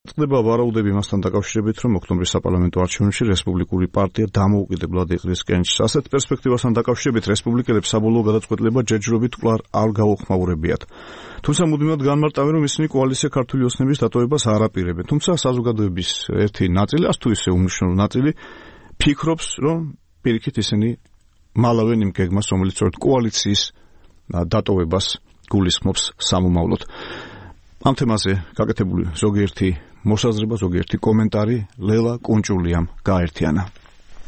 ხდება ვარაუდები მასთან დაკავშირებით, რომ ოქტომბრის საპარლამენტო არჩევნებში რესპუბლიკური პარტია დამოუკიდებლად იყრის კენჭს. ასეთ პერსპექტივასთან დაკავშირებით რესპუბლიკელებს საბოლოო გადაწყვეტილება ჯერჯერობით კვლავ არ გაუხმაურებიათ. თუმცა მუდმივად განმარტავენ, რომ ისინი კოალიცია ქართული ოცნების დატოვებას არ აპირებენ. თუმცა საზოგადოების ერთი ნაწილი, ასე თუ ისე უმნიშვნელო ნაწილი, ფიქრობს, რომ პირიქით ისინი მალავენ იმ გეგმას, რომელიც კოალიციის დატოვებას გულისხმობს სამომავლოდ. ამ თემაზე გაკეთებული ზოგიერთი მოსაზრება, ზოგიერთი კომენტარი ლელა კუნჭულიამ გააერთიანა.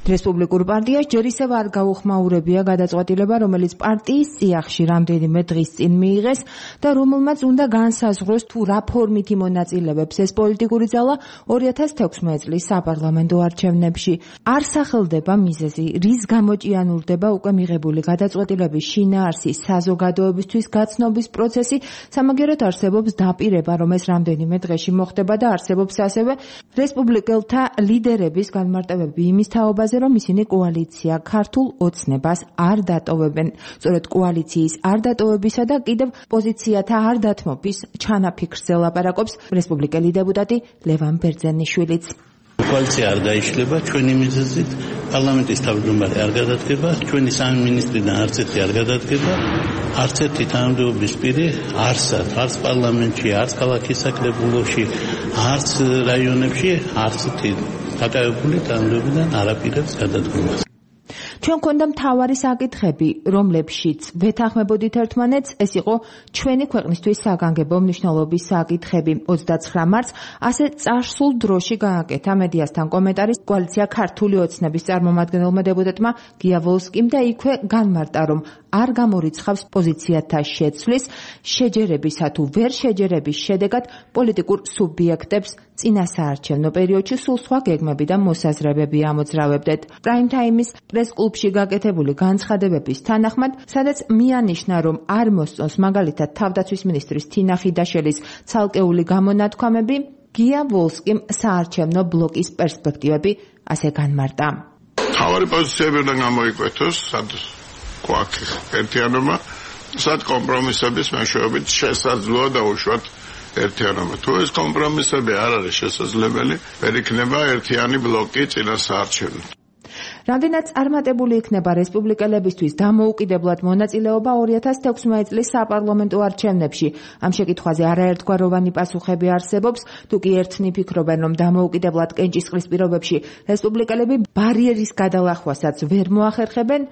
რესპუბლიკურ პარტიას ჯერ ისევ არ გაუხმაურებია გადაწყვეტილება, რომელიც პარტიის წიაღში რამდენიმე დღის წინ მიიღეს და რომელმაც უნდა განსაზღვროს თუ რა ფორმით იმონაწილეებს ეს პოლიტიკური ძალა 2016 წლის საპარლამენტო არჩევნებში. არ სახელდება მიზეზი, რის გამო ჭიანურდება უკვე მიღებული გადაწყვეტილების შინაარსი, საზოგადოებისთვის გაცნობის პროცესი, სამაგერად არსებობს დაპირება, რომ ეს რამდენიმე დღეში მოხდება და არსებობს ასევე რესპუბლიკელთა ლიდერების განმარტებები იმის თაობაზე, რომ ისინი კოალიცია ქართულ ოცნებას არ დატოვებენ. სწორედ კოალიციის არ დატოვებისა და კიდევ პოზიციათა არ დათმობის ჩანაფიქრზე ლაპარაკობს რესპუბლიკელი დეპუტატი ლევან ბერძენიშვილიც. კოალიცია არ დაიშლება ჩვენი მიზეზით, პარლამენტის თავმჯდომარე არ გადადგება, ჩვენი სამი მინისტრიდან არც ერთი არ გადადგება, არც ერთი თანამდებობის პირი არც პარლამენტში, არც ქალაქის საკრებულოში, არც რაიონებში, არც ერთი დაკავებული თანამდებობიდან არ აპირებს გადადგომას. ჩვენ გვქონდა მთავარი საკითხები, რომლებშიც ვეთანხმებოდით ერთმანეთს, ეს იყო ჩვენი ქვეყნისთვის საგანგებო მნიშვნელობის საკითხები. 29 მარტს ასე წარსულ დროში გააკეთა მედიასთან კომენტარი კოალიცია ქართული ოცნების წარმომადგენელმა დეპუტატმა გია ვოლსკიმ და იქვე განმარტა, რომ არ გამორიცხავს პოზიციათა შეცვლის, შეჯერებისა თუ ვერ შეჯერების შედეგად პოლიტიკურ სუბიექტებს წინასაარჩევნო პერიოდში სულ სხვა გეგმები და მოსაზრებები ამოძრავებდეთ. პრაიმ თაიმის პრეს-კლუბში გაკეთებული განცხადებების თანახმად, სადაც მიანიშნა, რომ არ მოსწონს მაგალითად თავდაცვის მინისტრის თინა ხიდაშელის ცალკეული გამონათქვამები, გია ვოლსკიმ საარჩევნო ბლოკის პერსპექტივები ასე განმარტა. მთავარი პოზიციები უნდა გამოიკვეთოს, სად გვაქვს ერთიანობა, სად კომპრომისების მეშვეობით შესაძლოა დაუშვათ ერთიანობა. თუ ეს კომპრომისები არ არის შესაძლებელი, ვერ იქნება ერთიანი ბლოკი წინასაარჩევნოდ. რამდენად წარმატებული იქნება რესპუბლიკელებისთვის დამოუკიდებლად მონაწილეობა 2016 წლის საპარლამენტო არჩევნებში. ამ შეკითხვაზე არაერთგვაროვანი პასუხები არსებობს, თუ კი ერთნი ფიქრობენ, რომ დამოუკიდებლად კენჭისყრის პირობებში რესპუბლიკელები ბარიერის გადალახვასაც ვერ მოახერხებენ,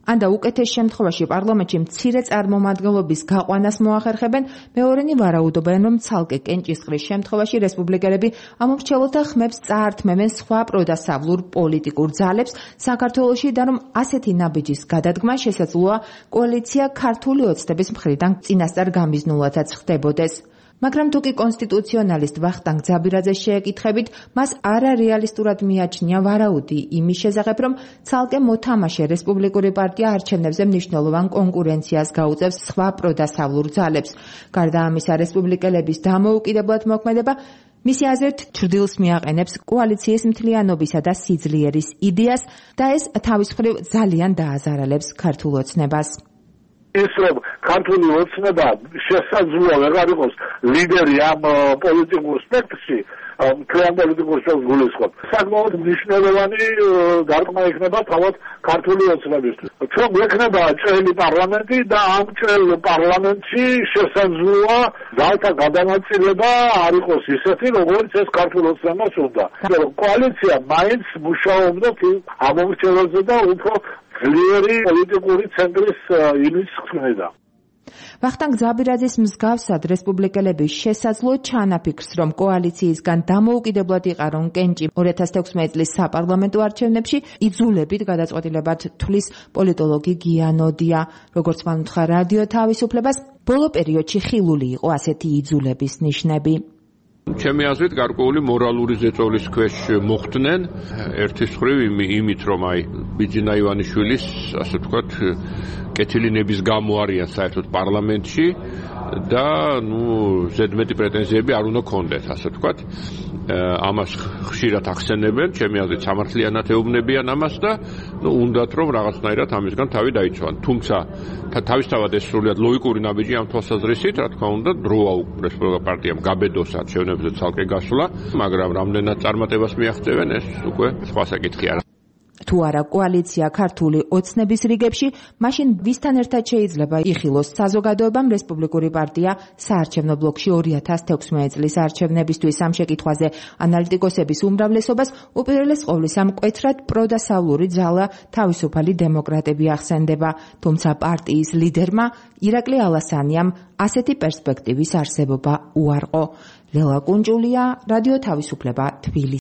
ან და უკეთეს შემთხვევაში პარლამენტში მცირე წარმომადგენლობის გაყვანას მოახერხებენ, მეორენი ვარაუდობენ, რომ ცალკე კენჭისყრის შემთხვევაში რესპუბლიკელები ამომრჩეველთა ხმებს წაართმევენ სხვა პროდასავლურ პოლიტიკურ ძალებს საქართველოში და რომ ასეთი ნაბიჯის გადადგმა შესაძლოა კოალიცია ქართული ოცნების მხრიდან წინასწარ გამიზნულათაც ხდებოდეს. მაგრამ თუ კი კონსტიტუციონალისტ ვახტანგ ძაბირაძეს შეეკითხებით, მას არარეალისტურად მიაჩნია ვარაუდი იმის შესახებ, რომ ცალკე მოთამაშე რესპუბლიკური პარტია არჩევნებზე მნიშვნელოვან კონკურენციას გაუწევს სხვა პროდასავლურ ძალებს. გარდა ამისა, რესპუბლიკელების დამოუკიდებლად მოქმედება მისი აზრით ჩრდილს მიაყენებს კოალიციის მთლიანობისა და სიძლიერის იდეას და ეს თავის მხრივ ძალიან დააზარალებს ქართულ ოცნებას. ის რომ ქართული ოცნება შესაძლოა ვეღარ იყოს ლიდერი ამ პოლიტიკურ სპექტრში, მთლიან პოლიტიკურ სპექტრს გულისხმობ. საკმაოდ მნიშვნელოვანი დარტყმა იქნება თავად ქართული ოცნებისთვის. ჩვენ გვექნება ჭრელი პარლამენტი და ამ ჭრელ პარლამენტში შესაძლოა ძალთა გადანაწილება არ იყოს ისეთი, როგორც ეს ქართულ ოცნებას უნდა. კოალიცია მაინც მუშაობდა ამომრჩეველზე და უფრო ძლიერი პოლიტიკური ცენტრის იმის ხსნიდა. ვახტანგ ძაბირაძის მსგავსად რესპუბლიკელები შესაძლო ჩანაფიქრს, რომ კოალიციისგან დამოუკიდებლად იყარონ კენჭი 2016 წლის საპარლამენტო არჩევნებში იძულებით გადაწყვეტილებად თვლის პოლიტოლოგი გია ნოდია. როგორც მან უთხრა რადიო თავისუფლებას, ბოლო პერიოდში ხილული იყო ასეთი იძულების ნიშნები. ჩემი აზრით გარკვეული მორალური ზეწოლის ქვეშ მოხვდნენ, ერთის მხრივ იმით, რომ ბიძინა ივანიშვილის, ასე ვთქვათ, კეთილი ნების გამო არიან საერთოდ პარლამენტში და ზედმეტი პრეტენზიები არ უნდა ქონდეთ, ასე ვთქვათ. ამას ხშირად ახსენებენ, ჩემი აზრით სამართლიანად ეუბნებიან ამას და უნდათ რომ რაღაცნაირად ამისგან თავი დაიცვან. თუმცა თავისთავად ეს სრულიად ლოგიკური ნაბიჯი ამ თვალსაზრისით, რა თქმა უნდა, დროა რესპუბლიკურ პარტიამ გაბედოს არჩევნებზე ცალკე გასვლა, მაგრამ რამდენად წარმატებას მიაღწევენ, ეს უკვე სხვა საკითხია. თუ არა კოალიცია ქართული ოცნების რიგებში, მაშინ ვისთან ერთად შეიძლება იხილოს საზოგადოებამ რესპუბლიკური პარტია საარჩევნო ბლოკში 2016 წლის არჩევნებისთვის? ამ შეკითხვაზე ანალიტიკოსების უმრავლესობას უპირველეს ყოვლისა მკვეთრად პროდასავლური ძალა თავისუფალი დემოკრატები ახსენდება, თუმცა პარტიის ლიდერმა ირაკლი ალასანიამ ასეთი პერსპექტივის არსებობა უარყო. ლელა კუნჭულია, რადიო თავისუფლება, თბილისი.